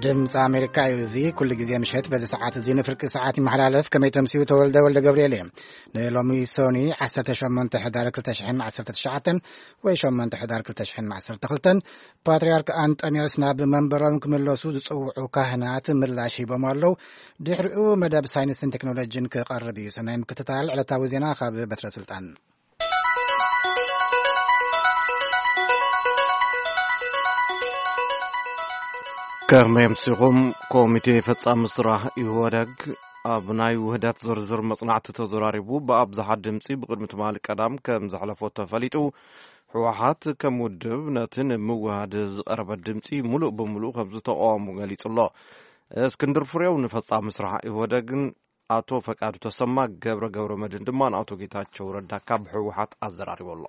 ድምፂ ኣሜሪካ እዩ። እዚ ኩሉ ግዜ ምሸት በዚ ሰዓት እዚ ንፍርቂ ሰዓት ይመሓላለፍ። ከመይ ተምስዩ? ተወልደ ወልደ ገብርኤል እየ። ንሎሚ ሶኒ ዓሰርተ ሸሞንተ ሕዳር ክልተ ሽሕን ዓሰርተ ትሽዓተን ወይ ሸሞንተ ሕዳር ክልተ ሽሕን ዓሰርተ ክልተን ፓትርያርክ ኣንጠንዮስ ናብ መንበሮም ክምለሱ ዝጽውዑ ካህናት ምላሽ ሂቦም ኣለዉ። ድሕሪኡ መደብ ሳይንስን ቴክኖሎጂን ክቐርብ እዩ። ሰናይ ምክትታል ዕለታዊ ዜና ካብ በትረ ስልጣን። ከመይ ኣምሲኹም? ኮሚቴ ፈጻሚ ስራሕ ኢህወደግ ኣብ ናይ ውህደት ዝርዝር መጽናዕቲ ተዘራሪቡ ብኣብዝሓ ድምጺ ብቕድሚ ትማሊ ቀዳም ከም ዘሕለፎ ተፈሊጡ። ህወሓት ከም ውድብ ነቲ ንምውሃድ ዝቐረበ ድምጺ ሙሉእ ብሙሉእ ከም ዝተቃወሙ ገሊጹ ኣሎ። እስክንድር ፍሬው ንፈጻሚ ስራሕ ኢህወደግን ኣቶ ፈቃዱ ተሰማ ገብረ ገብረ መድን ድማ ንኣቶ ጌታቸው ረዳ ካብ ህወሓት ኣዘራሪቡ ኣሎ።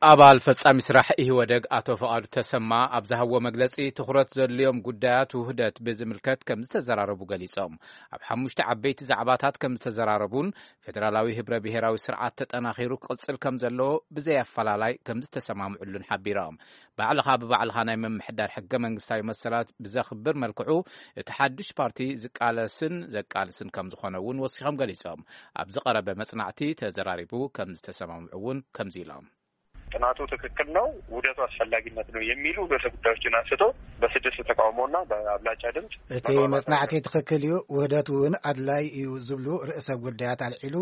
ኣባል ፈጻሚ ስራሕ ኢህወደግ ኣቶ ፈቃዱ ተሰማ ኣብ ዝሃብዎ መግለጺ፣ ትኹረት ዘድልዮም ጉዳያት ውህደት ብዝምልከት ከም ዝተዘራረቡ ገሊጾም። ኣብ ሓሙሽተ ዓበይቲ ዛዕባታት ከም ዝተዘራረቡን፣ ፌደራላዊ ህብረ ብሔራዊ ስርዓት ተጠናኺሩ ክቕጽል ከም ዘለዎ ብዘይ ኣፈላላይ ከም ዝተሰማምዕሉን ሓቢሮም። ባዕልኻ ብባዕልኻ ናይ ምምሕዳር ሕገ መንግስታዊ መሰላት ብዘኽብር መልክዑ፣ እቲ ሓድሽ ፓርቲ ዝቃለስን ዘቃልስን ከም ዝኾነ እውን ወሲኾም ገሊጾም። ኣብ ዝቐረበ መጽናዕቲ ተዘራሪቡ ከም ዝተሰማምዑ እውን ከምዚ ኢሎም። ጥናቱ ትክክል ነው፣ ውህደቱ አስፈላጊነት ነው የሚሉ ርዕሰ ጉዳዮችን አንስቶ በስድስት ተቃውሞና በአብላጫ ድምፅ እቲ መግባባት መጽናዕቲ ትኽክል እዩ፣ ውህደት እውን ኣድላይ እዩ ዝብሉ ርእሰ ጉዳያት ኣልዒሉ፣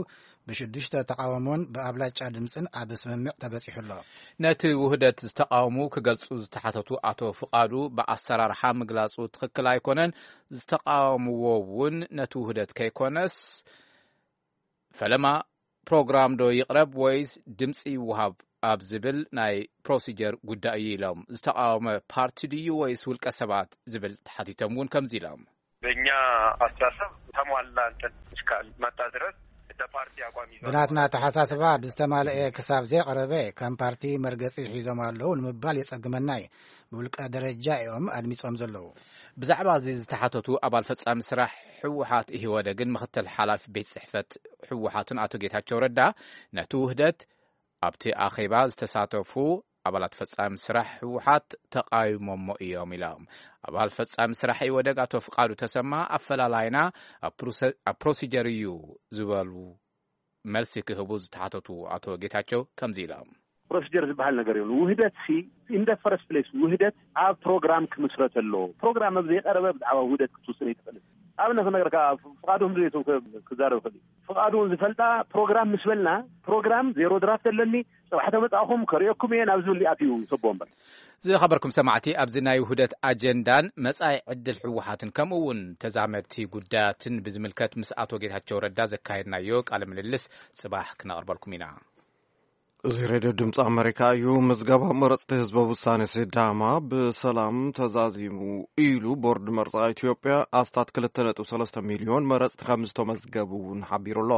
ብሽዱሽተ ተቃውሞን ብኣብላጫ ድምፅን ኣብ ስምምዕ ተበጺሑ ኣሎ። ነቲ ውህደት ዝተቃወሙ ክገልጹ ዝተሓተቱ ኣቶ ፍቓዱ፣ ብኣሰራርሓ ምግላጹ ትኽክል ኣይኮነን፣ ዝተቃወምዎ እውን ነቲ ውህደት ከይኮነስ፣ ፈለማ ፕሮግራም ዶ ይቕረብ ወይስ ድምፂ ይወሃብ ኣብ ዝብል ናይ ፕሮሲጀር ጉዳይ እዩ ኢሎም። ዝተቃወመ ፓርቲ ድዩ ወይስ ውልቀ ሰባት ዝብል ተሓቲቶም እውን ከምዚ ኢሎም። በእኛ አስተሳሰብ ተሟላ እንትን እስካልመጣ ድረስ እንደ ፓርቲ አቋም ይዘው ብናትና ኣተሓሳስባ ብዝተማልአ ክሳብ ዘይቐረበ ከም ፓርቲ መርገፂ ሒዞም ኣለዉ ንምባል የጸግመና እዩ። ብውልቀ ደረጃ እዮም ኣድሚጾም ዘለዉ። ብዛዕባ እዚ ዝተሓተቱ ኣባል ፈጻሚ ስራሕ ህወሓት ኢህወደግን ምኽትል ሓላፊ ቤት ጽሕፈት ህወሓትን ኣቶ ጌታቸው ረዳ፣ ነቲ ውህደት ኣብቲ ኣኼባ ዝተሳተፉ ኣባላት ፈጻሚ ስራሕ ህወሓት ተቃዊሞሞ እዮም ኢሎም። ኣባል ፈጻሚ ስራሕ ኢህወደግ ኣቶ ፍቃዱ ተሰማ፣ ኣፈላላይና ኣብ ፕሮሰ-፣ ኣብ ፕሮሲጀር እዩ ዝበሉ መልሲ ክህቡ ዝተሓተቱ ኣቶ ጌታቸው ከምዚ ኢሎም። ፕሮሲጀር ዝበሃል ነገር የብሉ። ውህደት ሲ፣ in the first place ውህደት ኣብ ፕሮግራም ክምስረት ኣለዎ። ፕሮግራም ኣብ ዘይቀረበ ብዛዕባ ውህደት ክትውስን ኣይትኽእልን። ኣብነት ክነገርካ፣ ፍቃዱ ህምዙ ክዛረብ ይኽእል እዩ። ፍቃዱ እውን ዝፈልጣ፣ ፕሮግራም ምስ በልና፣ ፕሮግራም ዜሮ ድራፍት ኣለኒ፣ ጽባሕ ተመጻእኹም ከርእየኩም እየ ናብ ዝብል ኣትዩ ሰቦ እምበር። ዝኸበርኩም ሰማዕቲ፣ ኣብዚ ናይ ውህደት ኣጀንዳን መጻኢ ዕድል ህወሓትን ከምኡ እውን ተዛመድቲ ጉዳያትን ብዝምልከት ምስ ኣቶ ጌታቸው ረዳ ዘካየድናዮ ቃለ ምልልስ ጽባሕ ክነቕርበልኩም ኢና። እዚ ሬድዮ ድምፂ ኣመሪካ እዩ። ምዝገባ መረፅቲ ህዝበ ውሳነ ሲዳማ ብሰላም ተዛዚሙ ኢሉ ቦርድ መርፃ ኢትዮጵያ ኣስታት ክልተ ነጥቢ ሰለስተ ሚልዮን መረፅቲ ከም ዝተመዝገቡ እውን ሓቢሩ ኣሎ።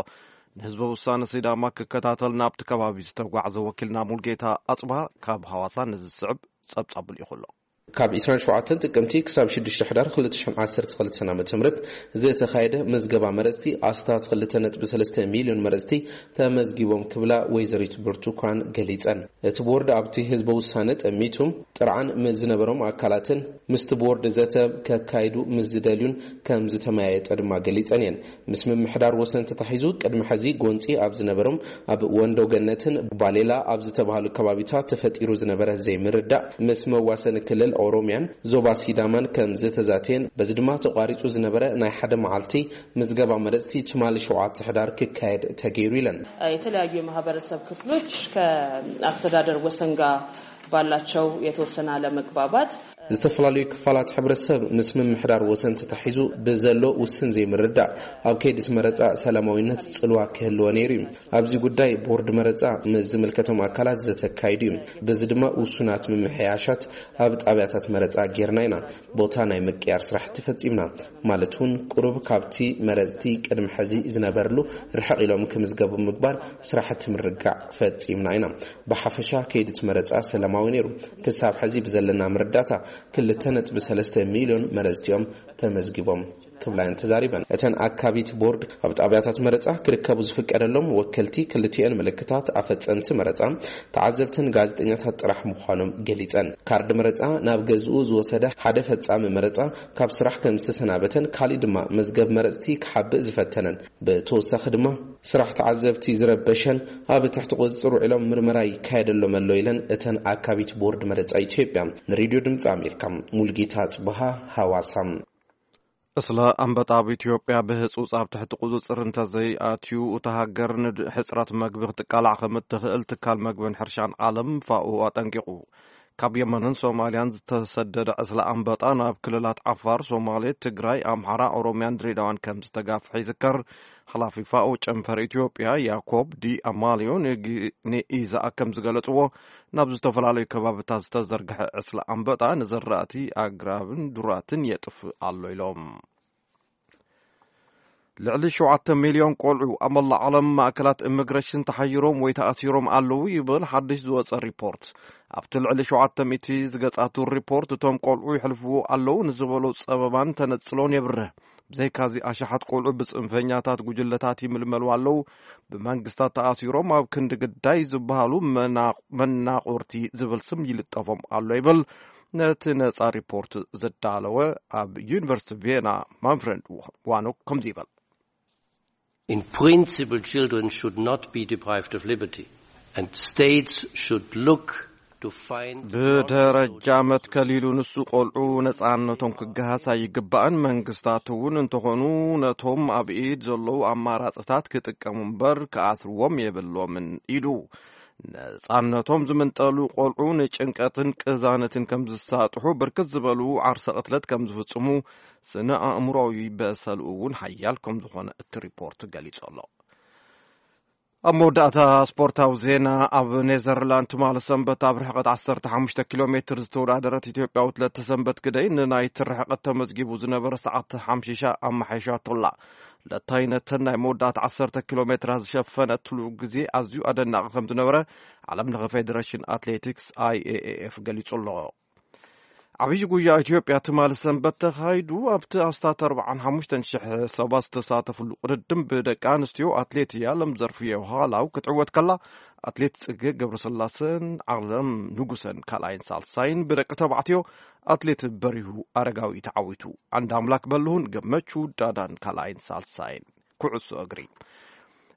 ንህዝበ ውሳነ ሲዳማ ክከታተል ናብቲ ከባቢ ዝተጓዕዘ ወኪልና ሙልጌታ ኣፅባ ካብ ሃዋሳ ነዚ ዝስዕብ ጸብጻብ ልኢኹ ኣሎ። ካብ ዕስራን ሸውዓተን ጥቅምቲ ክሳብ ሽዱሽተ ሕዳር ክልተ ሽሕን ዓሰርተ ክልተን ዓመተ ምህረት ዝተኻየደ ምዝገባ መረጽቲ ኣስታት ክልተ ነጥቢ ሰለስተ ሚልዮን መረጽቲ ተመዝጊቦም ክብላ ወይዘሪት ብርቱካን ገሊጸን። እቲ ቦርድ ኣብቲ ህዝበ ውሳነ ጠሚቱ ጥርዓን ምስ ዝነበሮም ኣካላትን ምስቲ ቦርድ ዘተ ከካይዱ ምስ ዝደልዩን ከም ዝተመያየጠ ድማ ገሊጸን እየን። ምስ ምምሕዳር ወሰን ተታሒዙ ቅድሚ ሕዚ ጎንጺ ኣብ ዝነበሮም ኣብ ወንዶ ገነትን ባሌላ ኣብ ዝተባህሉ ከባቢታት ተፈጢሩ ዝነበረ ዘይምርዳእ ምስ መዋሰኒ ክልል ኦሮሚያን ዞባ ሲዳማን ከም ዝተዛተየን በዚ ድማ ተቋሪጹ ዝነበረ ናይ ሓደ መዓልቲ ምዝገባ መረጽቲ ትማሊ ሸውዓተ ሕዳር ክካየድ ተገይሩ ኢለን። የተለያዩ የማህበረሰብ ክፍሎች ከአስተዳደር ወሰን ጋር ባላቸው የተወሰነ አለመግባባት ዝተፈላለዩ ክፋላት ሕብረተሰብ ምስ ምምሕዳር ወሰን ተታሒዙ ብዘሎ ውስን ዘይምርዳእ ኣብ ከይዲ እቲ መረፃ ሰላማዊነት ፅልዋ ክህልዎ ነይሩ እዩ። ኣብዚ ጉዳይ ቦርድ መረፃ ምስ ዝምልከቶም ኣካላት ዘተካይዱ እዩ። በዚ ድማ ውሱናት ምምሕያሻት ኣብ ጣብያታት መረፃ ጌርና ኢና። ቦታ ናይ ምቅያር ስራሕቲ ፈፂምና። ማለት እውን ቁሩብ ካብቲ መረፅቲ ቅድሚ ሕዚ ዝነበርሉ ርሕቕ ኢሎም ክምዝገቡ ምግባር ስራሕቲ ምርጋዕ ፈፂምና ኢና። ብሓፈሻ ከይዲ እቲ መረፃ ሰላማዊ ነይሩ። ክሳብ ሕዚ ብዘለና መረዳእታ ክልተ ነጥቢ ሰለስተ ሚልዮን መረፅቲ እዮም ተመዝጊቦም ክብላ እየን ተዛሪበን። እተን ኣካቢት ቦርድ ኣብ ጣብያታት መረፃ ክርከቡ ዝፍቀደሎም ወከልቲ ክልቲኤን ምልክታት ኣፈፀምቲ መረፃ፣ ተዓዘብትን ጋዜጠኛታት ጥራሕ ምዃኖም ገሊፀን። ካርድ መረፃ ናብ ገዝኡ ዝወሰደ ሓደ ፈፃሚ መረፃ ካብ ስራሕ ከም ዝተሰናበተን ካሊእ ድማ መዝገብ መረፅቲ ክሓብእ ዝፈተነን፣ ብተወሳኺ ድማ ስራሕ ተዓዘብቲ ዝረበሸን ኣብ ትሕቲ ቁፅፅር ውዒሎም ምርመራ ይካየደሎም ኣሎ ኢለን እተን ኣካቢት ቦርድ መረፃ ኢትዮጵያ ንሬድዮ ድምፂ ኣሜሪካ። ሙልጌታ ጽብሃ፣ ሃዋሳ። እስለ ኣንበጣ ኣብ ኢትዮጵያ ብህጹጽ ኣብ ትሕቲ ቁጽጽር እንተዘይኣትዩ፣ እታ ሃገር ንሕጽረት መግቢ ክትቃላዕ ከም እትኽእል ትካል መግብን ሕርሻን ዓለም ፋኦ ኣጠንቂቑ። ካብ የመንን ሶማልያን ዝተሰደደ ዕስለ ኣንበጣ ናብ ክልላት ዓፋር፣ ሶማሌ፣ ትግራይ፣ ኣምሓራ፣ ኦሮምያን ድሬዳዋን ከም ዝተጋፍሐ ይዝከር። ሓላፊ ፋኦ ጨንፈር ኢትዮጵያ ያኮብ ዲ ኣማልዮ ንግ-፣ ንኢዛኣ ከም ዝገለጽዎ፣ ናብ ዝተፈላለዩ ከባብታት ዝተዘርግሐ ዕስለ ኣንበጣ ንዘራእቲ ኣግራብን ዱራትን የጥፍእ ኣሎ ኢሎም። ልዕሊ ሸውዓተ ሚልዮን ቆልዑ ኣብ መላእ ዓለም ማእከላት ኢሚግሬሽን ተሓይሮም ወይ ተኣሲሮም ኣለዉ ይብል ሓድሽ ዝወጸ ሪፖርት። ኣብቲ ልዕሊ ሸውዓተ ሚእቲ ዝገጻቱ ሪፖርት፣ እቶም ቆልዑ ይሕልፍዎ ኣለዉ ንዝበሎ ጸበባን ተነጽሎን የብርህ። ብዘይካዚ፣ ኣሽሓት ቆልዑ ብጽንፈኛታት ጉጅለታት ይምልመሉ ኣለዉ። ብመንግስታት ተኣሲሮም ኣብ ክንዲ ግዳይ ዝበሃሉ መና-፣ መናቑርቲ ዝብል ስም ይልጠፎም ኣሎ ይብል ነቲ ነጻ ሪፖርት ዘዳለወ ኣብ ዩኒቨርሲቲ ቪየና ማንፍሬድ ዋኖ ከምዚ ይብል። In principle, children should not be deprived of liberty, and states should look to find ብደረጃ መትከል ኢሉ ንሱ ቆልዑ ነጻነቶም ክገሃስ ኣይግባእን። መንግስታት እውን እንተኾኑ ነቶም ኣብ ኢድ ዘለዉ ኣማራጽታት ክጥቀሙ እምበር ክኣስርዎም የብሎምን ኢሉ። ነጻነቶም ዝምንጠሉ ቆልዑ ንጭንቀትን ቅዛነትን ከም ዝሳጥሑ፣ ብርክት ዝበሉ ዓርሰ ቅትለት ከም ዝፍጽሙ፣ ስነ ኣእምሮዊ በሰልኡ እውን ሓያል ከም ዝኾነ እቲ ሪፖርት ገሊጹ ኣሎ። ኣብ መወዳእታ ስፖርታዊ ዜና፣ ኣብ ኔዘርላንድ ትማሊ ሰንበት ኣብ ርሕቀት ዓሰርተ ሓሙሽተ ኪሎ ሜትር ዝተወዳደረት ኢትዮጵያዊት ለተሰንበት ግደይ ንናይቲ ርሕቀት ተመዝጊቡ ዝነበረ ሰዓት ሓምሺሻ ኣመሓይሻቶላ። ለታይ ነተን ናይ መወዳእታ ዓሰርተ ኪሎ ሜትራት ዝሸፈነትሉ ግዜ ኣዝዩ ኣደናቂ ከም ዝነበረ ዓለም ለኸ ፌዴሬሽን ኣትሌቲክስ፣ ኣይ ኤ ኤ ኤፍ፣ ገሊጹ ኣሎ። ዓብዪ ጉያ ኢትዮጵያ ትማሊ ሰንበት ተኻይዱ። ኣብቲ ኣስታት ኣርባዓን ሓሙሽተን ሽሕ ሰባት ዝተሳተፍሉ ቅድድም ብደቂ ኣንስትዮ ኣትሌት ያለም ዘርፍየ ሃላው ክትዕወት ከላ፣ ኣትሌት ጽጌ ገብረስላሴን ዓለም ንጉሰን ካልኣይን ሳልሳይን፣ ብደቂ ተባዕትዮ ኣትሌት በሪሁ ኣረጋዊ ተዓዊቱ። ዓንድ ኣምላክ በልሁን ገመቹ ዳዳን ካልኣይን ሳልሳይን። ኩዕሶ እግሪ።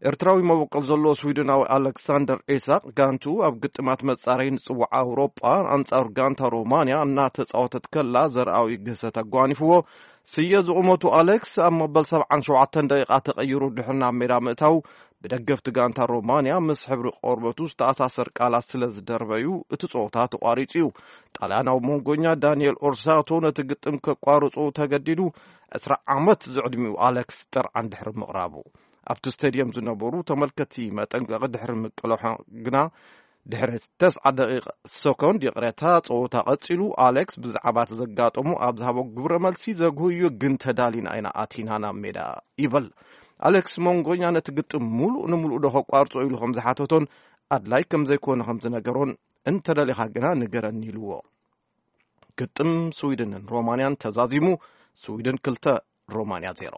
ኤርትራዊ መበቆል ዘለዎ ስዊድናዊ ኣሌክሳንደር ኢሳቅ፣ ጋንቱ ኣብ ግጥማት መጻረይ ንጽዋዕ ኣውሮጳ ኣንጻር ጋንታ ሮማንያ እናተጻወተት ከላ ዘርኣዊ ግህሰት ኣጓኒፍዎ ስየ ዝቑመቱ ኣሌክስ ኣብ መበል ሰብዓን ሸውዓተን ደቂቓ ተቐይሩ ድሕሪ ናብ ሜዳ ምእታው፣ ብደገፍቲ ጋንታ ሮማንያ ምስ ሕብሪ ቆርበቱ ዝተኣሳሰር ቃላት ስለ ዝደርበዩ እቲ ጸወታ ተቋሪጹ እዩ። ጣልያናዊ መንጎኛ ዳንኤል ኦርሳቶ ነቲ ግጥም ከቋርጾ ተገዲዱ፣ ዕስራ ዓመት ዝዕድሚኡ ኣሌክስ ጥርዓን ድሕሪ ምቕራቡ። ኣብቲ ስቴድየም ዝነበሩ ተመልከትቲ መጠንቀቒ ድሕሪ ምቅልሖ ግና፣ ድሕሪ ተስዓ ደቂቕ ሰኮንድ፣ ይቕሬታ፣ ጸወታ ቀጺሉ። ኣሌክስ ብዛዕባ እቲ ዘጋጠሙ ኣብ ዝሃቦ ግብረ መልሲ፣ ዘግህዩ ግን ተዳሊና ኢና ኣቲና ናብ ሜዳ ይብል። ኣሌክስ መንጎኛ ነቲ ግጥም ሙሉእ ንሙሉእ ዶ ከቋርጾ ኢሉ ከም ዝሓተቶን ኣድላይ ከም ዘይኮነ ከም ዝነገሮን፣ "እንተደሊኻ ግና ንገረኒ" ኢልዎ። ግጥም ስዊድንን ሮማንያን ተዛዚሙ፣ ስዊድን ክልተ፣ ሮማንያ ዜሮ።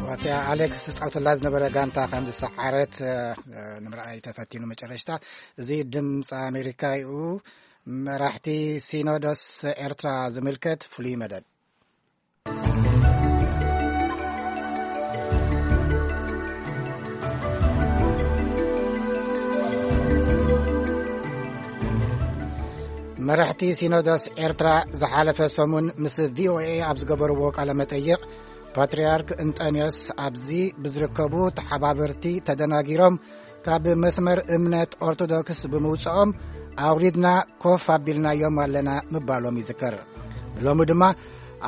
ዋትያ ኣሌክስ ዝጻወተላ ዝነበረ ጋንታ ከም ዝሰዓረት፣ እ፣ ንምርኣይ ተፈቲኑ። መጨረሽታ፣ እዚ ድምፂ ኣሜሪካ እዩ። መራሕቲ ሲኖዶስ ኤርትራ ዝምልከት ፍሉይ መደብ። መራሕቲ ሲኖዶስ ኤርትራ ዝሓለፈ ሰሙን ምስ ቪ ኦ ኤ ኣብ ዝገበርዎ ቃለ መጠይቕ፣ ፓትርያርክ እንጠንዮስ ኣብዚ ብዝርከቡ ተሓባበርቲ ተደናጊሮም ካብ መስመር እምነት ኦርቶዶክስ ብምውፅኦም ኣውሪድና ኮፍ ኣቢልናዮም ኣለና ምባሎም ይዝከር። ብሎሚ ድማ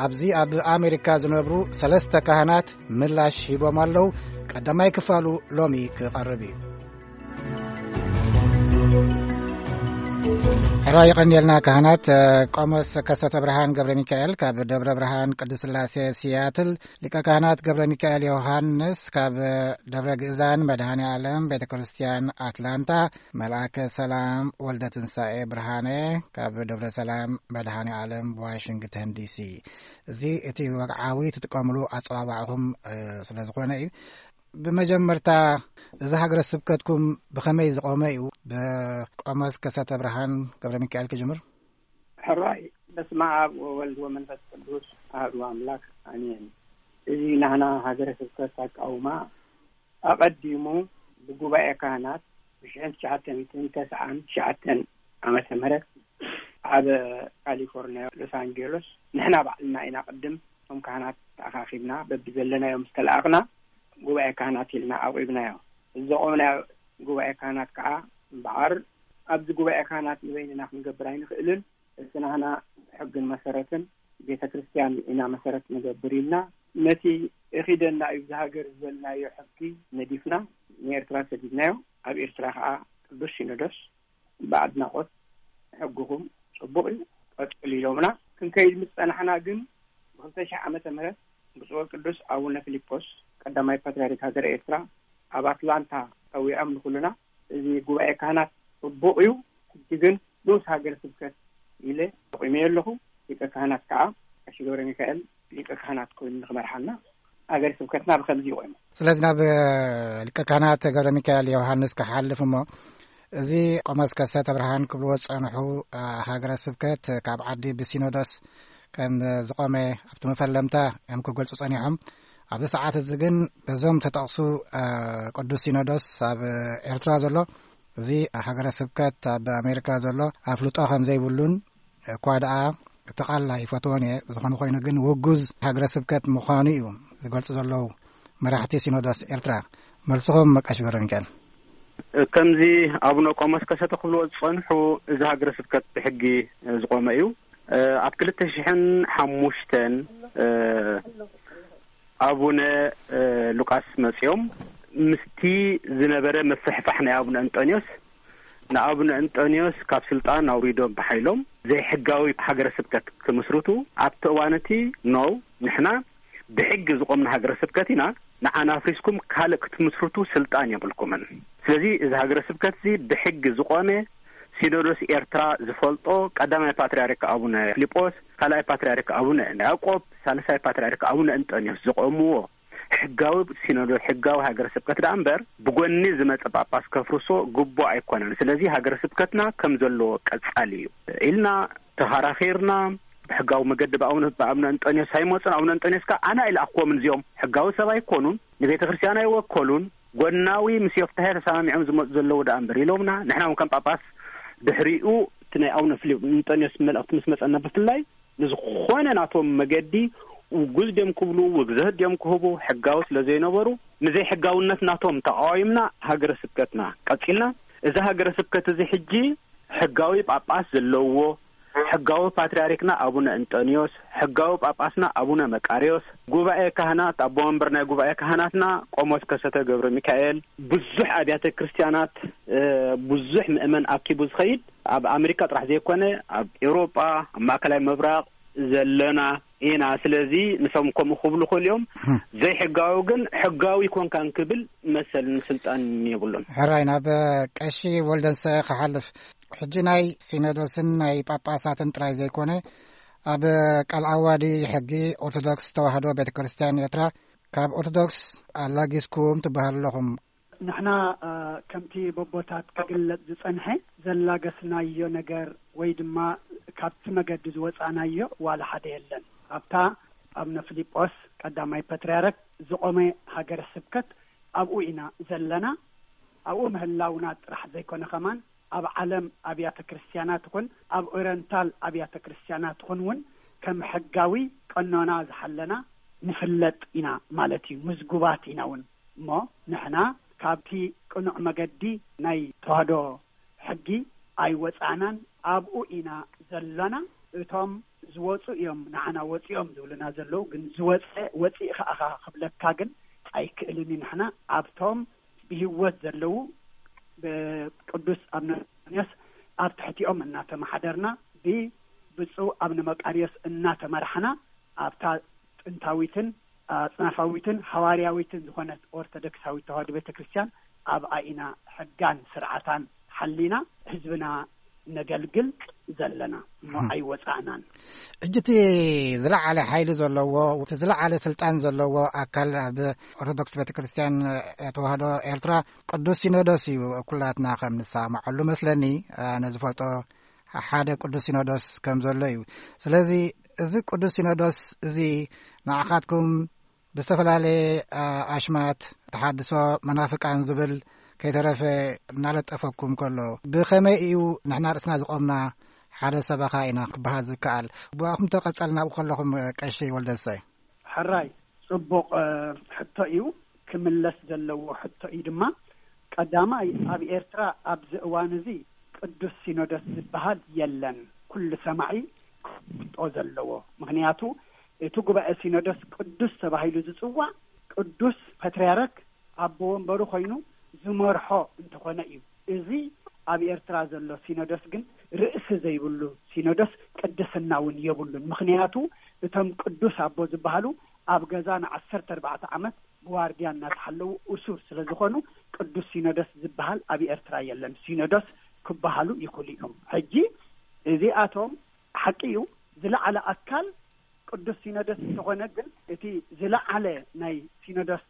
ኣብዚ ኣብ ኣሜሪካ ዝነብሩ ሰለስተ ካህናት ምላሽ ሂቦም ኣለዉ። ቀዳማይ ክፋሉ ሎሚ ክቐርብ እዩ። ሕራይ ይቐንየልና ካህናት። እ፣ ቆሞስ ከሰተ ብርሃን ገብረ ሚካኤል ካብ ደብረ ብርሃን ቅድስት ስላሴ ሲያትል፣ ሊቀ ካህናት ገብረ ሚካኤል ዮሃንስ ካብ ደብረ ግእዛን መድኃኔ ዓለም ቤተ ክርስቲያን ኣትላንታ፣ መልኣከ ሰላም ወልደ ትንሳኤ ብርሃነ ካብ ደብረ ሰላም መድኃኔ ዓለም ዋሽንግተን ዲሲ። እዚ እቲ ወግዓዊ ትጥቀምሉ ኣጸዋዋዕኹም፣ እ፣ ስለ ዝኾነ እዩ። ብመጀመርታ፣ እዚ ሃገረ ስብከትኩም ብኸመይ ዝቖመ እዩ? ብቆሞስ ከሰተ ብርሃን ገብረ ሚካኤል ክጅምር። ሕራይ፣ በስመ ኣብ ወወልድ ወመንፈስ ቅዱስ ኣሐዱ ኣምላክ ኣሜን። እዚ ናህና ሃገረ ስብከት ኣቃውማ ኣቐዲሙ ብጉባኤ ካህናት ብሽሕን ትሽዓተ ሚእትን ተስዓን ትሽዓተን ዓመተ ምህረት ኣብ ካሊፎርኒያ ሎስ ኣንጀሎስ ንሕና ባዕልና ኢና ቅድም እቶም ካህናት ተኣኻኺብና በብዘለናዮም ዝተለኣኽና ጉባኤ ካህናት ኢልና ኣቑብናዮ። እዚ ዘቖምናዮ ጉባኤ ካህናት ከዓ እምበኣር ኣብዚ ጉባኤ ካህናት ንበይንና ክንገብር ኣይንኽእልን። እቲ ናህና ሕግን መሰረትን ቤተ ክርስቲያን ኢና መሰረት ንገብር ኢልና ነቲ እኺደና እዩ ብዝሃገር ዝበልናዮ ሕጊ ነዲፍና ንኤርትራ ሰዲድናዮ። ኣብ ኤርትራ ከዓ ቅዱስ ሲኖዶስ ብኣድናቖት ሕግኹም ጽቡቕ እዩ፣ ቀጽሉ ኢሎምና። ክንከይድ ምስ ጸናሕና ግን ብክልተ ሺሕ ዓመተ ምህረት ብፁዕ ቅዱስ ኣቡነ ፊሊጶስ ቀዳማይ ፓትርያርክ ሃገረ ኤርትራ ኣብ ኣትላንታ ጸዊዖም ንኹልና። እዚ ጉባኤ ካህናት ጽቡቕ እዩ፣ ሕጂ ግን ንኡስ ሃገረ ስብከት ኢለ ኣቑመዮ ኣለኹ። ሊቀ ካህናት ከዓ ቀሺ ገብረ ሚካኤል ሊቀ ካህናት ኮይኑ ንኽመርሓና ሃገረ ስብከትና ብኸምዚ ይቑም። ስለዚ ናብ ሊቀ ካህናት ገብረ ሚካኤል ዮሃንስ ክሓልፍ እሞ፣ እዚ ቆሞስ ከሰተ ብርሃን ክብልዎ ዝጸንሑ፣ እ፣ ሃገረ ስብከት ካብ ዓዲ ብሲኖዶስ ከም ዝቖመ ኣብቲ መፈለምታ እዮም ክገልጹ ጸኒሖም። ኣብዚ ሰዓት እዚ ግን በዞም ተጠቕሱ፣ እ፣ ቅዱስ ሲኖዶስ ኣብ ኤርትራ ዘሎ፣ እዚ ሃገረ ስብከት ኣብ ኣሜሪካ ዘሎ ኣፍልጦ ከም ዘይብሉን እኳ ደኣ እቲ ቃል ኣይፈትዎን እየ፣ ዝኾነ ኮይኑ ግን ውጉዝ ሃገረ ስብከት ምዃኑ እዩ ዝገልጹ ዘለዉ መራሕቲ ሲኖዶስ ኤርትራ። መልስኹም ቀሺ ገብረ ሚካኤል። ከምዚ ኣቡነ ቆሞስ ከሰተ ክብልዎ ዝጸንሑ፣ እዚ ሃገረ ስብከት ብሕጊ ዝቖመ እዩ። ኣብ ክልተ ሽሕን ሓሙሽተን ኣቡነ ሉቃስ መጺኦም ምስቲ ዝነበረ ምፍሕፋሕ ናይ ኣቡነ እንጦንዮስ ንኣቡነ እንጦንዮስ ካብ ስልጣን ኣውሪዶም ብሓይሎም ዘይሕጋዊ ሃገረ ስብከት ክምስርቱ ኣብቲ እዋን እቲ፣ ኖው፣ ንሕና ብሕጊ ዝቖምና ሃገረ ስብከት ኢና፣ ንዓና ኣፍሪስኩም ካልእ ክትምስርቱ ስልጣን የብልኩምን። ስለዚ እዚ ሃገረ ስብከት እዚ ብሕጊ ዝቖመ፣ ሲኖዶስ ኤርትራ ዝፈልጦ፣ ቀዳማይ ፓትርያርክ ኣቡነ ፊልጶስ፣ ካልኣይ ፓትርያርክ ኣቡነ ያዕቆብ፣ ሳልሳይ ፓትርያርክ ኣቡነ እንጠንዮስ ዝቖምዎ ሕጋዊ ሲኖዶስ፣ ሕጋዊ ሃገረ ስብከት ደኣ እምበር፣ ብጎኒ ዝመጸ ጳጳስ ከፍርሶ ግቡእ ኣይኮነን። ስለዚ ሃገረ ስብከትና ከም ዘለዎ ቀጻሊ እዩ ኢልና ተኸራኺርና፣ ብሕጋዊ መገዲ ብኣቡነ፣ ብኣቡነ እንጠንዮስ ኣይመጹን። ኣቡነ እንጠንዮስ ከኣ ኣነ ኣይለኣኽዎምን፣ እዚኦም ሕጋዊ ሰብ ኣይኮኑን፣ ንቤተ ክርስቲያን ኣይወከሉን፣ ጎናዊ ምስ ዮፍታሄ ተሰማሚዖም ዝመጹ ዘለዉ ደኣ እምበር ኢሎምና። ንሕና እውን ከም ጳጳስ ድሕሪኡ እቲ ናይ ኣቡነ ፊልጶስ እንጠንዮስ መልእኽቲ ምስ መጸና ብፍላይ ንዝኾነ ናቶም መገዲ ውጉዝ ድዮም ክብሉ፣ ውግዘት ድዮም ክህቡ፣ ሕጋዊ ስለ ዘይነበሩ፣ ንዘይሕጋውነት ናቶም ተቃዋይምና ሃገረ ስብከትና ቀጺልና። እዚ ሃገረ ስብከት እዚ ሕጂ ሕጋዊ ጳጳስ ዘለዎ፣ ሕጋዊ ፓትርያርክና ኣቡነ እንጠንዮስ፣ ሕጋዊ ጳጳስና ኣቡነ መቃርዮስ፣ ጉባኤ ካህናት፣ ኣቦ መንበር ናይ ጉባኤ ካህናትና ቆሞስ ከሰተ ገብረ ሚካኤል፣ ብዙሕ ኣብያተ ክርስቲያናት፣ እ፣ ብዙሕ ምእመን ኣኪቡ ዝኸይድ፣ ኣብ ኣሜሪካ ጥራሕ ዘይኮነ፣ ኣብ ኤውሮጳ፣ ኣብ ማእከላይ ምብራቕ ዘለና ኢና። ስለዚ ንሶም ከምኡ ክብሉ ይኽእሉ እዮም። እም። ዘይሕጋዊ ግን ሕጋዊ ኮንካን ክብል መሰልን ስልጣንን የብሉን። ሕራይ፣ ናብ ቀሺ ወልደንሰ ክሓልፍ። ሕጂ ናይ ሲኖዶስን ናይ ጳጳሳትን ጥራይ ዘይኮነ፣ ኣብ ቃል ዓዋዲ ሕጊ ኦርቶዶክስ ተዋህዶ ቤተ ክርስቲያን ኤርትራ ካብ ኦርቶዶክስ ኣላጊስኩም ትበሃሉ ኣለኹም። ንሕና፣ እ፣ ከምቲ በቦታት ክግለጽ ዝጸንሐ ዘላገስናዮ ነገር ወይ ድማ ካብቲ መገዲ ዝወጻእናዮ ዋላ ሓደ የለን። ኣብታ ኣቡነ ፊልጶስ ቀዳማይ ፓትርያርክ ዝቖመ ሃገረ ስብከት ኣብኡ ኢና ዘለና። ኣብኡ ምህላውና ጥራሕ ዘይኮነ ከማን ኣብ ዓለም ኣብያተ ክርስቲያናት ይኹን ኣብ ኦሪየንታል ኣብያተ ክርስቲያናት ይኹን እውን ከም ሕጋዊ ቀኖና ዝሓለና ንፍለጥ ኢና ማለት እዩ። ምዝጉባት ኢና እውን። እሞ ንሕና ካብቲ ቅኑዕ መገዲ ናይ ተዋህዶ ሕጊ ኣይወጻእናን፣ ኣብኡ ኢና ዘለና። እቶም ዝወጹ እዮም ንዓና ወጺኦም ዝብሉና ዘለዉ፣ ግን ዝወጸ ወጺእኻ ኢኻ ክብለካ ግን ኣይክእልን እዩ። ንሕና ኣብቶም ብህይወት ዘለዉ ብቅዱስ ኣቡነ እንጦንዮስ ኣብ ትሕቲኦም እናተመሓደርና፣ ብብፁዕ ኣብነ መቃርዮስ እናተመራሕና፣ ኣብታ ጥንታዊትን ኣጽናፋዊትን ሃዋርያዊትን ዝኾነት ኦርቶዶክሳዊት ተዋህዶ ቤተ ክርስቲያን ኣብኣ ኢና ሕጋን ስርዓታን ሓሊና ህዝብና ነገልግል ዘለና እሞ እህ። ኣይወጻእናን። ሕጂ እቲ ዝለዓለ ሓይሊ ዘለዎ፣ እቲ ዝለዓለ ስልጣን ዘለዎ ኣካል ኣብ ኦርቶዶክስ ቤተ ክርስቲያን ተዋህዶ ኤርትራ ቅዱስ ሲኖዶስ እዩ። ኩላትና ከም ንሰማመዐሉ መስለኒ፣ ኣነ ዝፈልጦ ሓደ ቅዱስ ሲኖዶስ ከም ዘሎ እዩ። ስለዚ እዚ ቅዱስ ሲኖዶስ እዚ ንዓኻትኩም ብዝተፈላለየ፣ ኣ፣ ኣሽማት ተሓድሶ መናፍቃን ዝብል ከይተረፈ እናለጠፈኩም ከሎ፣ ብኸመይ እዩ ንሕና ርእስና ዝቖምና ሓደ ሰበኻ ኢና ክበሃል ዝከኣል? ብኣኹም ተቐጸል ናብኡ ከለኹም፣ ቀሺ ወልደሰይ። ሕራይ፣ ጽቡቕ፣ እ፣ ሕቶ እዩ። ክምለስ ዘለዎ ሕቶ እዩ ድማ። ቀዳማይ፣ ኣብ ኤርትራ ኣብዚ እዋን እዚ ቅዱስ ሲኖዶስ ዝበሃል የለን። ኩሉ ሰማዒ ክፈልጦ ዘለዎ። ምኽንያቱ፣ እቲ ጉባኤ ሲኖዶስ ቅዱስ ተባሂሉ ዝጽዋዕ ቅዱስ ፓትርያርክ ኣቦ ወንበሩ ኮይኑ ዝመርሖ እንተኾነ እዩ። እዚ ኣብ ኤርትራ ዘሎ ሲኖዶስ ግን ርእሲ ዘይብሉ ሲኖዶስ ቅድስና እውን የብሉን። ምኽንያቱ፣ እቶም ቅዱስ ኣቦ ዝበሃሉ ኣብ ገዛ ንዓሰርተ ኣርባዕተ ዓመት ብዋርድያ እናተሓለዉ እሱር ስለ ዝኾኑ፣ ቅዱስ ሲኖዶስ ዝበሃል ኣብ ኤርትራ የለን። ሲኖዶስ ክበሃሉ ይኽእሉ እዮም። ሕጂ እዚኣቶም፣ ሓቂ እዩ፣ ዝለዓለ ኣካል ቅዱስ ሲኖዶስ እንተኾነ፣ ግን እቲ ዝለዓለ ናይ ሲኖዶስ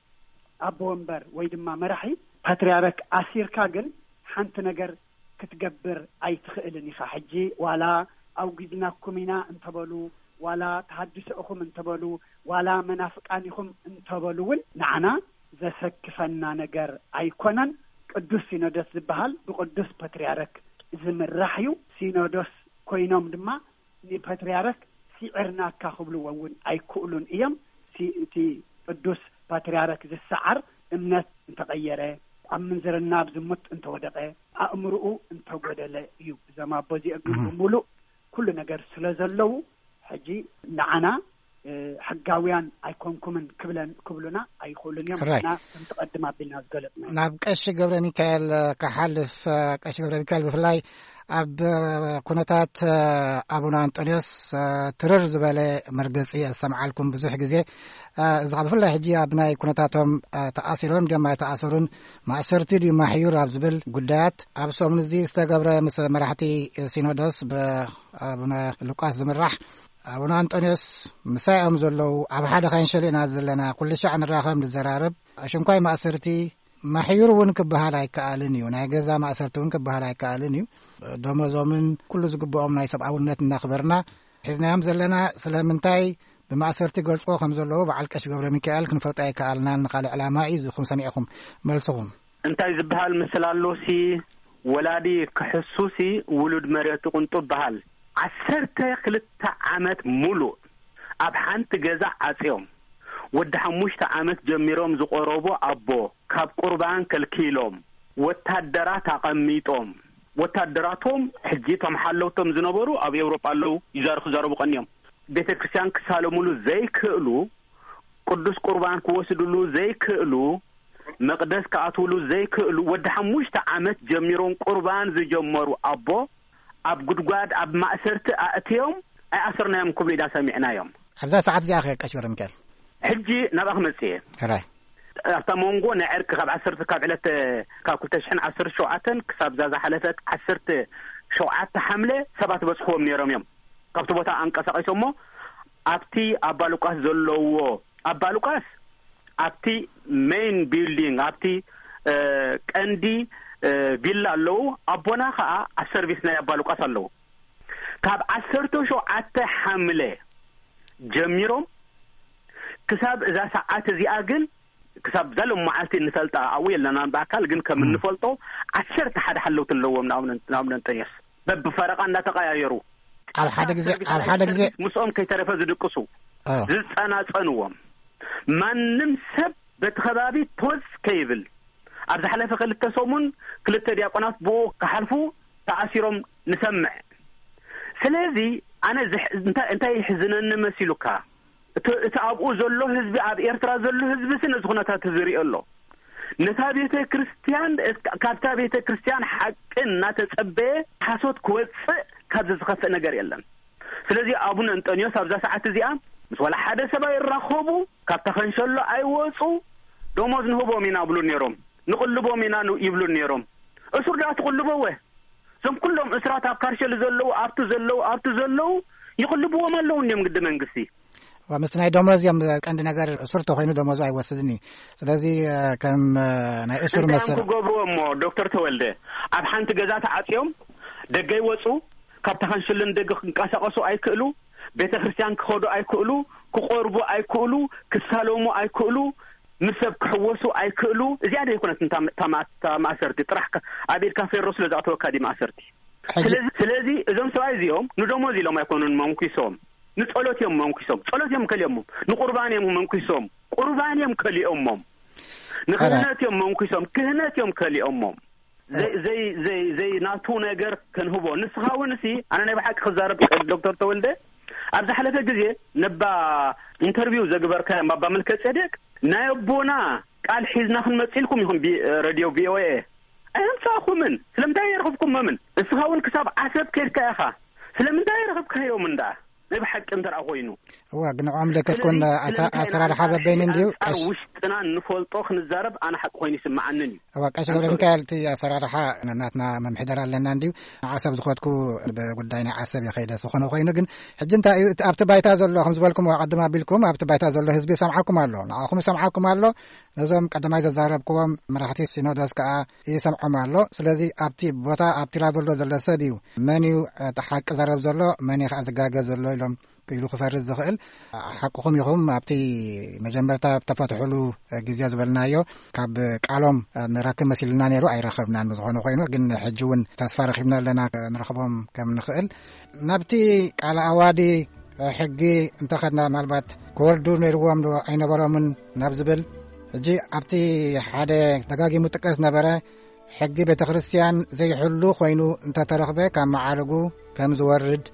ኣቦ ወንበር ወይ ድማ መራሒ ፓትርያርክ ኣሲርካ ግን ሓንቲ ነገር ክትገብር ኣይትኽእልን ኢኻ። ሕጂ ዋላ ኣውጊዝናኩም ኢና እንተበሉ፣ ዋላ ተሃድሶ ኢኹም እንተበሉ፣ ዋላ መናፍቃን ኢኹም እንተበሉ እውን፣ ንዓና ዘሰክፈና ነገር ኣይኮነን። ቅዱስ ሲኖዶስ ዝበሃል ብቅዱስ ፓትርያርክ ዝምራሕ እዩ። ሲኖዶስ ኮይኖም ድማ ንፓትርያርክ ስዒርናካ ክብልዎ እውን ኣይክእሉን እዮም። ሲ-፣ እቲ ቅዱስ ፓትርያርክ ዝሰዓር እምነት እንተቐየረ፣ ኣብ ምንዝርና፣ ኣብ ዝሙት እንተወደቐ፣ ኣእምርኡ እንተጎደለ እዩ። እዞም ኣቦ እዚኦም ግን እህ። ብምሉእ ኩሉ ነገር ስለ ዘለዉ፣ ሕጂ ንዓና፣ እ፣ ሕጋውያን ኣይኮንኩምን ክብለን-፣ ክብሉና ኣይኽእሉን እዮም። ሕራይ። ንሕና ከምቲ ቀድም ኣቢልና ዝገለጽና። ናብ ቀሺ ገብረ ሚካኤል፣ እ፣ ክሓልፍ፣ እ፣ ቀሺ ገብረ ሚካኤል ብፍላይ ኣብ፣ እ፣ ኩነታት፣ እ፣ ኣቡነ ኣንጦንዮስ፣ እ፣ ትርር ዝበለ መርገጺ ኣሰምዓልኩም ብዙሕ ግዜ። እ፣ እዚ ኸኣ ብፍላይ ሕጂ ኣብ ናይ ኩነታቶም፣ እ፣ ተኣሲሮም ድዮም ኣይተኣሰሩን፣ ማእሰርቲ ድዩ ማሕዩር ኣብ ዝብል ጉዳያት፣ ኣብ ሰሙን እዚ ዝተገብረ ምስ መራሕቲ ሲኖዶስ ብኣቡነ ሉቃስ ዝምራሕ፣ ኣቡነ ኣንጦንዮስ ምሳይ እዮም ዘለዉ። ኣብ ሓደ ካንሸል ኢና ዘለና። ኩሉ ሻዕ ንራኸብ፣ ንዘራረብ። ኣሽንኳይ ማእሰርቲ ማሕዩር እውን ክበሃል ኣይከኣልን እዩ። ናይ ገዛ ማእሰርቲ እውን ክበሃል ኣይከኣልን እዩ። ደሞዞምን ኩሉ ዝግብኦም ናይ ሰብኣውነት እናኽበርና ሒዝናዮም ዘለና። ስለምንታይ ብማእሰርቲ ገልጽዎ ከም ዘለዉ በዓል ቀሺ ገብረ ሚካኤል ክንፈልጦ ኣይከኣልናን። ንኻልእ ዕላማ እዩ፣ እዚ ኹም ሰሚዕኹም መልስኹም። እንታይ ዝበሃል ምስላ ኣሎሲ፣ ወላዲ ክሕሱሲ ውሉድ መሬቱ ቅንጡ በሃል። ዓሰርተ ክልተ ዓመት ሙሉእ ኣብ ሓንቲ ገዛ ዓጽዮም፣ ወዲ ሓሙሽተ ዓመት ጀሚሮም ዝቆረቡ ኣቦ ካብ ቁርባን ከልኪሎም፣ ወታደራት ኣቐሚጦም፣ ወታደራቶም ሕጂ እቶም ሓለውቶም ዝነበሩ ኣብ ኤውሮጳ ኣለዉ፣ ይዛር-፣ ክዛረቡ ቀንዮም። ቤተ ክርስቲያን ክሳለሙሉ ዘይክእሉ፣ ቅዱስ ቁርባን ክወስድሉ ዘይክእሉ፣ መቕደስ ክኣትውሉ ዘይክእሉ፣ ወዲ ሓሙሽተ ዓመት ጀሚሮም ቁርባን ዝጀመሩ ኣቦ ኣብ ጉድጓድ፣ ኣብ ማእሰርቲ ኣእትዮም ኣይኣሰርናዮም ክብሉ ኢና ሰሚዕናዮም። ኣብዛ ሰዓት እዚኣ ኸ ቀሺ ገብረ ሚካኤል? ሕጂ ናብኣ ክመጽእ እየ። ሕራይ። ኣብታ መንጎ ናይ ዕርቂ ካብ ዓሰርተ፣ ካብ ዕለት፣ ካብ ክልተ ሽሕን ዓሰርተ ሸውዓተን ክሳብ እዛ ዝሓለፈት ዓሰርተ ሸውዓተ ሓምለ ሰባት በጽሕዎም ነይሮም እዮም። ካብቲ ቦታ ኣንቀሳቒሶሞ ኣብቲ ኣባ ሉቃስ ዘለዎ፣ ኣባ ሉቃስ ኣብቲ ሜይን ቢልዲንግ፣ ኣብቲ፣ እ፣ ቀንዲ፣ እ፣ ቪላ ኣለዉ። ኣቦና ኸኣ ኣብ ሰርቪስ ናይ ኣባ ሉቃስ ኣለዉ። ካብ ዓሰርተ ሸውዓተ ሓምለ ጀሚሮም ክሳብ እዛ ሰዓት እዚኣ ግን፣ ክሳብ እዛ ሎም መዓልቲ እንፈልጣ፣ ኣብኡ የለናን ብኣካል፣ ግን ከም እም። እንፈልጦ ዓሰርተ ሓደ ሓለውቲ ኣለዎም ንኣቡነ፣ ንኣቡነ እንጠንዮስ። በብፈረቓ እናተቐያየሩ። ኣብ ሓደ ግዜ፣ ኣብ ሓደ ግዜ ምስኦም ከይተረፈ ዝድቅሱ፣ ኦ። ዝጸናጸንዎም። ማንም ሰብ በቲ ከባቢ ፖዝ ከይብል፣ ኣብ ዝሓለፈ ክልተ ሰሙን ክልተ ዲያቆናት ብኡ ክሓልፉ ተኣሲሮም ንሰምዕ። ስለዚ ኣነ ዝሕ-፣ እንታይ፣ እንታይ ይሕዝነኒ መሲሉካ? እቲ፣ እቲ ኣብኡ ዘሎ ህዝቢ፣ ኣብ ኤርትራ ዘሎ ህዝቢ ሲ ነዚ ኩነታት እዚ ይሪኦ ኣሎ። ነታ ቤተ ክርስቲያን፣ ካብታ ቤተ ክርስቲያን ሓቂ እናተጸበየ ሓሶት ክወጽእ ካብዚ ዝኸፍእ ነገር የለን። ስለዚ ኣቡነ እንጠንዮስ ኣብዛ ሰዓት እዚኣ ምስ ዋላ ሓደ ሰብ ኣይራኸቡ፣ ካብታ ኸንሸሎ ኣይወጹ። ደሞዝ ንህቦም ኢና ብሉ ነይሮም፣ ንቕልቦም ኢና ን-፣ ይብሉ ነይሮም። እሱር ደኣ ትቕልበወ? እዞም ኩሎም እስራት ኣብ ካርሸል ዘለዉ፣ ኣብቲ ዘለዉ፣ ኣብቲ ዘለዉ ይቕልብዎም ኣለዉ እንዲዮም ግዲ መንግስቲ። ዋ፣ ምስቲ ናይ ደሞዝ እዮም ቀንዲ ነገር። እሱር ተኾይኑ ደሞዙ ኣይወስድን እዩ። ስለዚ፣ እ፣ ከም፣ እ፣ ናይ እሱር እንታይ እዮም መሰል ክገብርዎ እሞ፣ ዶክተር ተወልደ? ኣብ ሓንቲ ገዛ ተዓጽዮም ደገ ይወጹ፣ ካብ ተኸንሽልን ደገ ክንቀሳቐሱ ኣይክእሉ፣ ቤተ ክርስቲያን ክኸዱ ኣይክእሉ፣ ክቆርቡ ኣይክእሉ፣ ክሳለሙ ኣይክእሉ፣ ምስ ሰብ ክሕወሱ ኣይክእሉ። እዚኣ ዶ ይኮነት እንታ ማ-፣ እታ ማ-፣ እታ ማእሰርቲ? ጥራሕ ከ-፣ ኣብ ኢድካ ፌሮ ስለ ዝኣተወካ ድዩ ማእሰርቲ? ሕጂ ስለዚ፣ ስለዚ እዞም ሰብኣይ እዚኦም ንደሞዝ ኢሎም ኣይኮኑን መንኩሶም፣ ንጸሎት እዮም መንኩሶም። ጸሎት እዮም ከሊኦሞም፣ ንቁርባን እዮም መንኩሶም፣ ቁርባን እዮም ከሊኦሞም፣ ንክህነት እዮም መንኩሶም፣ ክህነት እዮም ከሊኦሞም። ዘይ-፣ ዘይ-፣ ዘይ-፣ ዘይ ናቱ ነገር ከንህቦ። ንስኻ እውን እሲ፣ ኣነ ናይ ብሓቂ ክዛረብ፣ ዶክተር ተወልደ፣ ኣብ ዝሓለፈ ግዜ ነባ ኢንተርቪው ዘግበርካዮም ኣባ መልከ ጼዴቅ፣ ናይ ኣቦና ቃል ሒዝና ክንመጽእ ኢልኩም ኢኹም ቢ-፣ ሬድዮ ቪ ኦ ኤ። ኣየምጻእኩምን። ስለምንታይ የርኽብኩሞምን? እስኻ እውን ክሳብ ዓሰብ ከድካ ኢኻ። ስለምንታይ የርኽብካዮም እንዳ? ናይ ብሓቂ እንተ ደኣ ኮይኑ። እዋ፣ ግን ንዕኦም ለከት ኮን ስለዚ፣ ኣሳ-፣ ስለምንታይ ኣሰራርሓ ኢና በበይኑ እንዲዩ? ኣንጻር ቀሽ- ውሽጥና እንፈልጦ ክንዛረብ ኣነ ሓቂ ኮይኑ ይስምዓንን እዩ። እዋ፣ ቀሽ ገብረ ኣንሶሪ። ሚካኤል፣ እቲ ኣሰራርሓ ናትና መምሕደር ኣለና እንዲዩ። ንዓሰብ ዝኸድኩ ብጉዳይ ናይ ዓሰብ የኸይደ ዝኾነ ኮይኑ፣ ግን ሕጂ እንታይ እዩ እቲ ኣብቲ ባይታ ዘሎ? ከም ዝበልኩም ቀድም ኣቢልኩም፣ ኣብቲ ባይታ ዘሎ ህዝቢ ይሰምዓኩም ኣሎ፣ ንዓኹም ይሰምዓኩም ኣሎ። ነዞም ቀዳማይ ዘዛረብክዎም መራሕቲ ሲኖዶስ ከኣ ይሰምዖም ኣሎ። ስለዚ ኣብቲ ቦታ፣ ኣብቲ ላቨሎ ዘሎ ሰብ እዩ፣ መን እዩ እቲ ሓቂ ዘረብ ዘሎ፣ መን እዩ ከኣ ዝጋገ ዘሎ ኢሎም ኢሉ ክፈርድ ዝኽእል። ሓቅኹም ኢኹም። ኣብቲ መጀመርታ ተፈትሕሉ ግዜ ዝበልናዮ፣ ካብ ቃሎም ንረክብ መሲልና ነይሩ፣ ኣይረኸብናን። ዝኾነ ኮይኑ ግን ሕጂ እውን ተስፋ ረኺብና ኣለና፣ ንረኽቦም ከም ንኽእል። ናብቲ ቃለ ኣዋዲ ሕጊ እንተኸድና፣ ምናልባት ክወርዱ ነይርዎም ዶ ኣይነበሮምን ናብ ዝብል፣ ሕጂ ኣብቲ ሓደ ደጋጊሙ ጥቀስ ነበረ፣ ሕጊ ቤተ ክርስቲያን ዘይሕሉ ኮይኑ እንተተረኽበ፣ ካብ መዓርጉ ከም ዝወርድ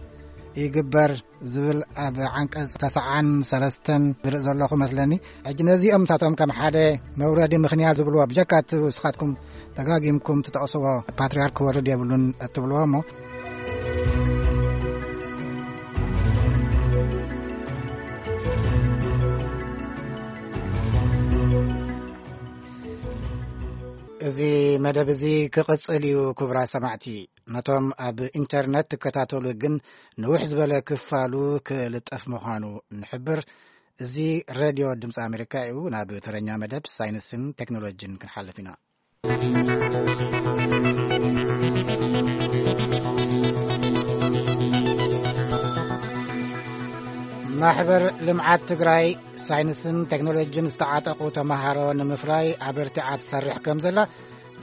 ይግበር ዝብል ኣብ ዓንቀጽ ተስዓን ሰለስተን ዝርኢ ዘለኹ መስለኒ። ሕጂ ነዚኦም ንሳቶም ከም ሓደ መውረዲ ምኽንያት ዝብልዎ፣ ብጀካ እቲ ንስኻትኩም ደጋጊምኩም ትጠቕስዎ ፓትርያርክ ክወርድ የብሉን እትብልዎ እሞ፣ እዚ መደብ እዚ ክቕጽል እዩ። ክቡራት ሰማዕቲ፣ ነቶም ኣብ ኢንተርነት ትከታተሉ ግን ንውሕ ዝበለ ክፋሉ ክልጠፍ ምዃኑ ንሕብር። እዚ ሬድዮ ድምፂ ኣሜሪካ እዩ። ናብ ተረኛ መደብ ሳይንስን ቴክኖሎጂን ክንሓልፍ ኢና። ማሕበር ልምዓት ትግራይ ሳይንስን ቴክኖሎጂን ዝተዓጠቑ ተምሃሮ ንምፍራይ ኣበርቲዓ ትሰርሕ ከም ዘላ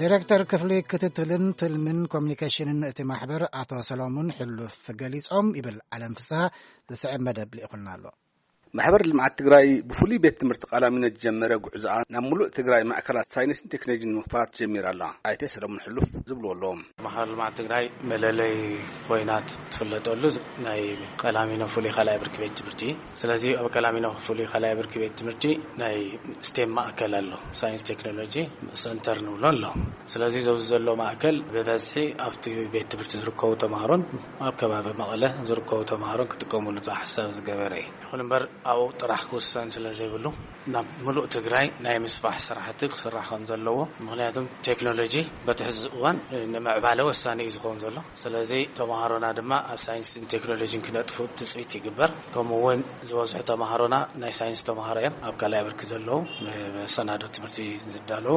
ዲሬክተር ክፍሊ ክትትልን ትልምን ኮሚኒኬሽንን እቲ ማሕበር ኣቶ ሰሎሙን ሕሉፍ ገሊጾም ይብል። ኣለም ፍስሃ ዝስዕብ መደብ ልኢኹልና ኣሎ። ማሕበር ልምዓት ትግራይ ብፍሉይ ቤት ትምህርቲ ቃላሚኖ ዝጀመረ ጉዕዞኣ ናብ ሙሉእ ትግራይ ማእከላት ሳይንስን ቴክኖሎጂን ንምኽፋት ጀሚራ ኣላ። ኣይተ ሰለሙን ሕሉፍ ዝብልዎ ኣለዎም። ማሕበር ልምዓት ትግራይ መለለይ ኮይና ትፍለጠሉ ናይ ቀላሚኖ ፍሉይ ካልኣይ ብርኪ ቤት ትምህርቲ እዩ። ስለዚ ኣብ ቀላሚኖ ፍሉይ ካልኣይ ብርኪ ቤት ትምህርቲ ናይ ስቴም ማእከል ኣሎ፣ ሳይንስ ቴክኖሎጂ ሰንተር ንብሎ ኣሎ። ስለዚ ዘብዚ ዘሎ ማእከል ብበዝሒ ኣብቲ ቤት ትምህርቲ ዝርከቡ ተምሃሮን ኣብ ከባቢ መቐለ ዝርከቡ ተምሃሮን ክጥቀሙሉ ዝሓሳብ ዝገበረ እዩ። ይኹን እምበር ኣብኡ ጥራሕ ክውሰን ስለ ዘይብሉ ናብ ምሉእ ትግራይ ናይ ምስፋሕ ስራሕቲ ክስራሕ ከም ዘለዎ፣ ምኽንያቱም ቴክኖሎጂ በቲ ሕዚ እዋን ንምዕባለ ወሳኒ እዩ ዝኸውን ዘሎ። ስለዚ ተምሃሮና ድማ ኣብ ሳይንስን ቴክኖሎጂን ክነጥፉ ትፅቢት ይግበር። ከምኡ እውን ዝበዝሑ ተምሃሮና ናይ ሳይንስ ተምሃሮ እዮም። ኣብ ካልኣይ ብርኪ ዘለዉ፣ መሰናዶ ትምህርቲ ዝዳለዉ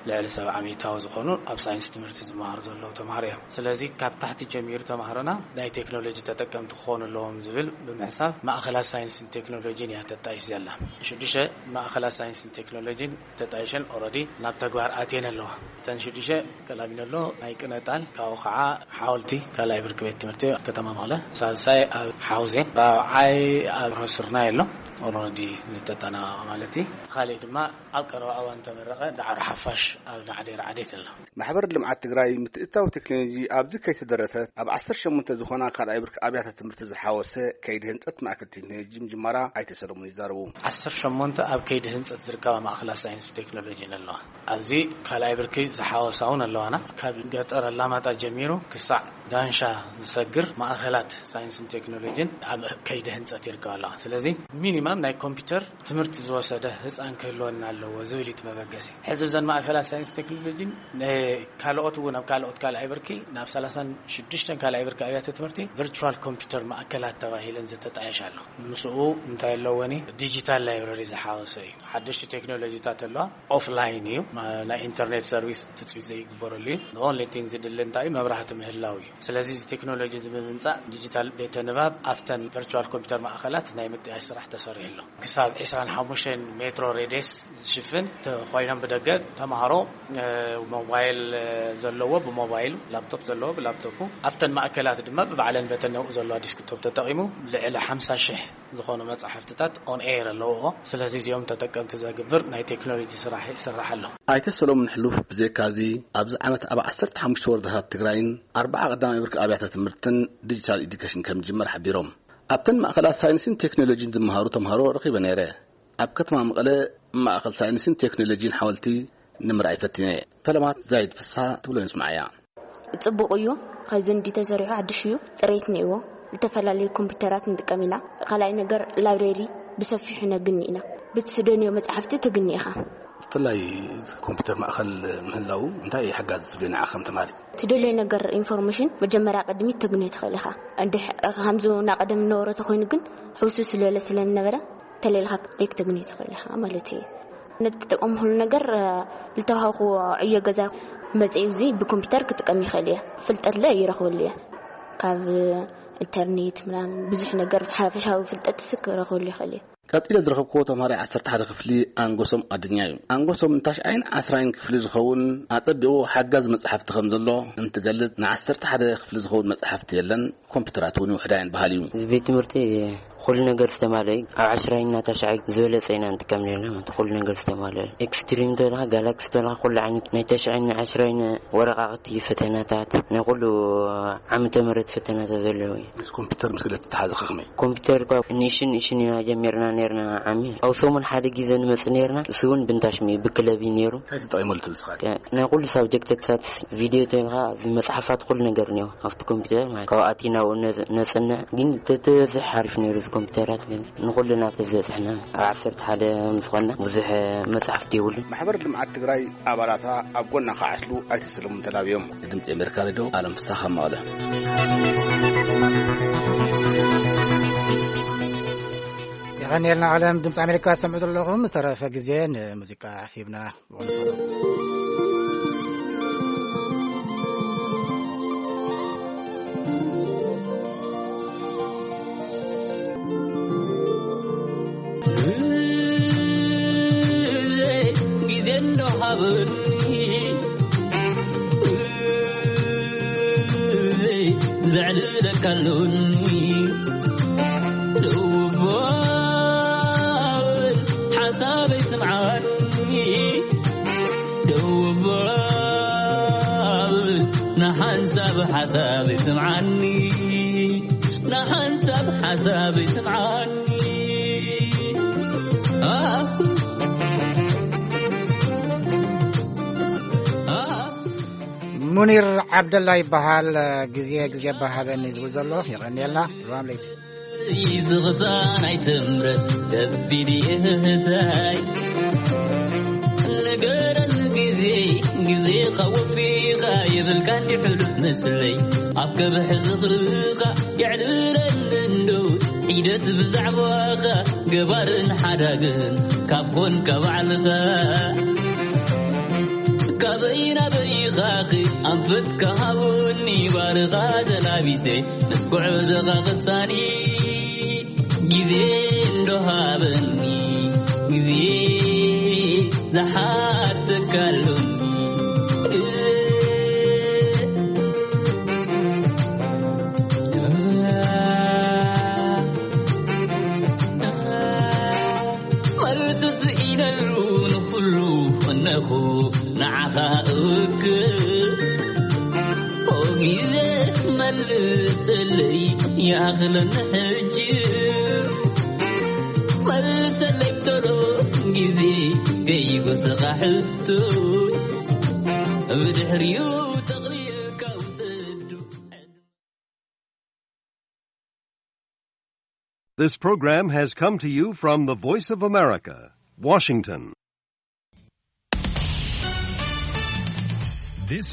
ልዕሊ ሰብዓ ሚእታዊ ዝኾኑ ኣብ ሳይንስ ትምህርቲ ዝመሃሩ ዘለዉ ተምሃሮ እዮም። ስለዚ ካብ ታሕቲ ጀሚሩ ተምሃሮና ናይ ቴክኖሎጂ ተጠቀምቲ ክኾኑ ኣለዎም ዝብል ብምሕሳብ ማእኸላት ሳይንስን ቴክኖሎጂን እያ ተጣይሽ ዘላ። ሽዱሽተ ማእኸላት ሳይንስን ቴክኖሎጂን ተጣይሸን ኦልሬዲ ናብ ተግባር ኣትየን ኣለዋ። እተን ሽዱሽተ ቀላሚኖ ኣሎ፣ ናይ ቅነጣል፣ ካብኡ ከዓ ሓወልቲ ካልኣይ ብርኪ ቤት ትምህርቲ ከተማ መቐለ፣ ሳልሳይ ኣብ ሓውዜን፣ ራብዓይ ኣብ ሮስርና ኣሎ። ኦልሬዲ ዝተጠናቐቐ ማለት እዩ። እቲ ካሊእ ድማ ኣብ ቀረባ እዋን ተመረቐ ዳዕሮ ሓፋሽ ኣብ ናዕዴር ዓዴት ኣሎ። ማሕበር ልምዓት ትግራይ ምትእታው ቴክኖሎጂ ኣብዚ ከይተደረተ ኣብ ዓሰርተ ሸሞንተ ዝኾና ካልኣይ ብርኪ ኣብያተ ትምህርቲ ዝሓወሰ ከይዲ ህንፀት ማእከል ቴክኖሎጂ ምጅማራ ኣይተ ሰለሙን ይዛረቡ። ዓሰርተ ሸሞንተ ኣብ ከይዲ ህንፀት ዝርከባ ማእኸላት ሳይንስ ቴክኖሎጂን ኣለዋ። ኣብዚ ካልኣይ ብርኪ ዝሓወሳ እውን ኣለዋና። ካብ ገጠር ኣላማጣ ጀሚሩ ክሳዕ ዳንሻ ዝሰግር ማእኸላት ሳይንስን ቴክኖሎጂን ኣብ ከይዲ ህንፀት ይርከባ ኣለዋ። ስለዚ ሚኒማም ናይ ኮምፒውተር ትምህርቲ ዝወሰደ ህፃን ክህልወና ኣለዎ ዝብል እዩ እቲ መበገሲ። ሕዚ እዘን ማእከላት ሳይንስ ቴክኖሎጂን ካልኦት እውን ኣብ ካልኦት ካልኣይ ብርኪ ናብ ሰላሳን ሽዱሽተን ካልኣይ ብርኪ ኣብያተ ትምህርቲ ቨርቹዋል ኮምፒውተር ማእከላት ተባሂለን ዝተጣየሻ ኣሎ። ምስኡ እንታይ ኣለወኒ? ዲጂታል ላይብረሪ ዝሓወሰ እዩ። ሓደሽቲ ቴክኖሎጂታት ኣለዋ። ኦፍላይን እዩ። ናይ ኢንተርኔት ሰርቪስ ትፅቢት ዘይግበረሉ እዩ። ኦንሊ ቲንግ ዝድሊ እንታይ እዩ? መብራህቲ ምህላው እዩ። ስለዚ እዚ ቴክኖሎጂ እዚ ብምምፃእ ዲጂታል ቤተ ንባብ ኣብተን ቨርቹዋል ኮምፒውተር ማእኸላት ናይ ምጥያሽ ስራሕ ተሰሪሑ ኣሎ። ክሳብ ዕስራን ሓሙሽተን ሜትሮ ሬድየስ ዝሽፍን ተ- ኮይኖም ብደገ ተምሃሮ እ፣ ሞባይል እ፣ ዘለዎ ብሞባይሉ፣ ላፕቶፕ ዘለዎ ብላፕቶፑ፣ ኣብተን ማእከላት ድማ ብባዕለን በተን ነብኡ ዘለዋ ዲስክቶፕ ተጠቒሙ ልዕሊ ሓምሳ ሽሕ ዝኾኑ መጻሕፍትታት ኦን ኤር ኣለዎ። ስለዚ እዚኦም ተጠቀምቲ ዘግብር ናይ ቴክኖሎጂ ስራሕ ይስራሕ ኣሎ። ኣይተ ሰሎሞን ሕሉፍ ብዘይካዚ ኣብዚ ዓመት ኣብ ዓሰርተ ሓሙሽተ ወረዳታት ትግራይን ኣርባዓ ቀዳማይ ብርኪ ኣብያተ ትምህርትን ዲጂታል ኤዱኬሽን ከም ዝጅመር ሓቢሮም። ኣብተን ማእከላት ሳይንስን ቴክኖሎጂን ዝመሃሩ ተምሃሮ ረኺበ ነይረ። ኣብ ከተማ መቐለ ማእኸል ሳይንስን ቴክኖሎጂን ሓወልቲ ንምርኣይ ፈቲነ። ፈለማት ዛይድ ፍስሓ ትብሎ ንስምዓያ። ጽቡቕ እዩ። ካይዘን ዲ ተሰሪሑ ሓድሽ እዩ። ጽሬት ነይዎ። ዝተፈላለዩ ኮምፒውተራት ንጥቀም ኢና። ካልኣይ ነገር ላይብሬሪ ብሰፊሑ ነግኒ ኢና። ብትስደንዮ መጻሕፍቲ ትግኒ ኢኻ። ብፍላይ ኮምፒውተር ማእኸል ምህላው እንታይ ሓጋዝ ትብሊ ንዓ ከም ተማሪ? ትደልዮ ነገር ኢንፎርሜሽን መጀመርያ ቅድሚት ተግንዮ ትኽእል ኢኻ። እንድሕ- ከምዚ ናብ ቀደም ነበረ ተኾይኑ ግን ሕውስውስ ዝበለ ስለ ዝነበረ ተለይልካ ለይክ ተግንዮ ትኽእል ኢኻ ማለት እዩ። ንትጥቀምሉ ነገር እ፣ ልተዋሃብክዎ ዕዮ ገዛ መፅኡ እዚ ብኮምፒውተር ክጥቀም ይኽእል እየ። ፍልጠት ለ ይረኽበሉ እየ። ካብ ኢንተርኔት ምናምን ብዙሕ ነገር ሓፈሻዊ ፍልጠት ስ ክረኽበሉ ይኽእል እየ። ቀጺለ ዝረኸብክዎ ተምሃራይ ዓሰርተ ሓደ ክፍሊ ኣንጎሶም ኣድኛ እዩ። ኣንጎሶም ንታሽዓይን ዓስራይን ክፍሊ ዝኸውን ኣጸቢቑ ሓጋዚ መጽሓፍቲ ከም ዘሎ እንትገልጽ፣ ንዓሰርተ ሓደ ክፍሊ ዝኸውን መጽሓፍቲ የለን፣ ኮምፒውተራት እውን ውሕዳየን በሃሊ እዩ። እዚ ቤት ትምህርቲ ኩሉ ነገር ዝተማልአ እዩ። ኣብ ዓስራይን ታሽዓይ ዝበለጸ ኢና ንጥቀም ነርና ማለት ኩሉ ነገር ዝተማልአ እዩ። ኤክስትሪም ተለኻ፣ ጋላክሲ ተለኻ፣ ኩሉ ዓይነት ናይ ታሽዓይን ዓስራይን ወረቓቕቲ ፈተናታት፣ ናይ ኩሉ ዓመተ ምህረት ፈተናታት ዘለዎ እዩ። ምስ ኮምፒውተር ምስ ገለ ተተሓዘ ከመይ? ኮምፒውተር እኳ ንእሽን ንእሽን ኢና ጀሚርና ነርና ዓሚ። ኣብ ሰሙን ሓደ ግዜ ንመጽእ ነርና፣ እሱ እውን ብንታሽሚ ብክለብ እዩ ነይሩ። እንታይ ትጠቂመሉ ትብል ስኻ? ከ-፣ ናይ ኩሉ ሳብጀክትታት ቪድዮ ተልካ፣ መጽሓፋት ኩሉ ነገር እኒኦ ኣብቲ ኮምፒውተር ማለት። ካብኡ ኣቲና ኣብኡ ነጽ-፣ ነጽንዕ። ግን ተተበዝሕ ሓሪፍ ነይሩ እዚ ኮምፒውተራት ግን ንኩልና ተዝበጽሕና ኣብ ዓሰርተ ሓደ ምስ ኾንና ብዙሕ መጽሓፍቲ የብሉን። ማሕበር ልምዓት ትግራይ ኣባላታ ኣብ ጎና ክዓስሉ ኣይተ ሰለሙን ተላብዮም። ድምፂ ኣሜሪካ ሬድዮ፣ ኣለም ፍስሓ ካብ መቐለ። የቐንየልና ኣለም። ድምፂ ኣሜሪካ ዝሰምዑ ዘለኹም። ዝተረፈ ግዜ ንሙዚቃ ሂብና። ግዜ እንዶ ሃብኒ፣ ዘዕልለካ ኣሎኒ። ደው እባ በል ሓሳበይ ስምዓኒ፣ ደው እባ በል ንሓንሳብ ሓሳበይ ስምዓኒ፣ ንሓንሳብ ሓሳበይ ስምዓኒ። ሙኒር ዓብደላ ይበሃል። ግዜ ግዜ ባሃበኒ ዝብል ዘሎ የቐንየልና። ሉዋም ለይቲ ዝቕፃ ናይ ትምረት ከቢድ እህታይ ንገረን ግዜ ግዜ ኸወፊኻ የብልካ እንዲ ሕሉፍ ምስለይ ኣብ ከብሒ ዝኽርኻ የዕልለኒ እንዶ ሒደት ብዛዕባኻ ገባርን ሓዳግን ካብ ኮንካ ባዕልኻ ካበይ ናበይ ኢኻኺ ኣንፈትካ ሃቡኒ ባርኻ ተላቢሰ ምስ ጉዕዞኻ ክሳኒ ግዜ እንዶ ሃበኒ ግዜ ዝሓተካሉኒ መልሲ ስኢነሉ ንኹሉ ኮነኹ ንዓኻ እውክል ኦ ግዜ መልሰለይ ይኣኽለኒ ሕጅስ ሰለይቶሎ ግዜ ከይጎሰኻ ሕቶይ ብድሕሪኡ ተቕርየካ ውሰዱ። This program has come to you from the Voice of America, Washington. This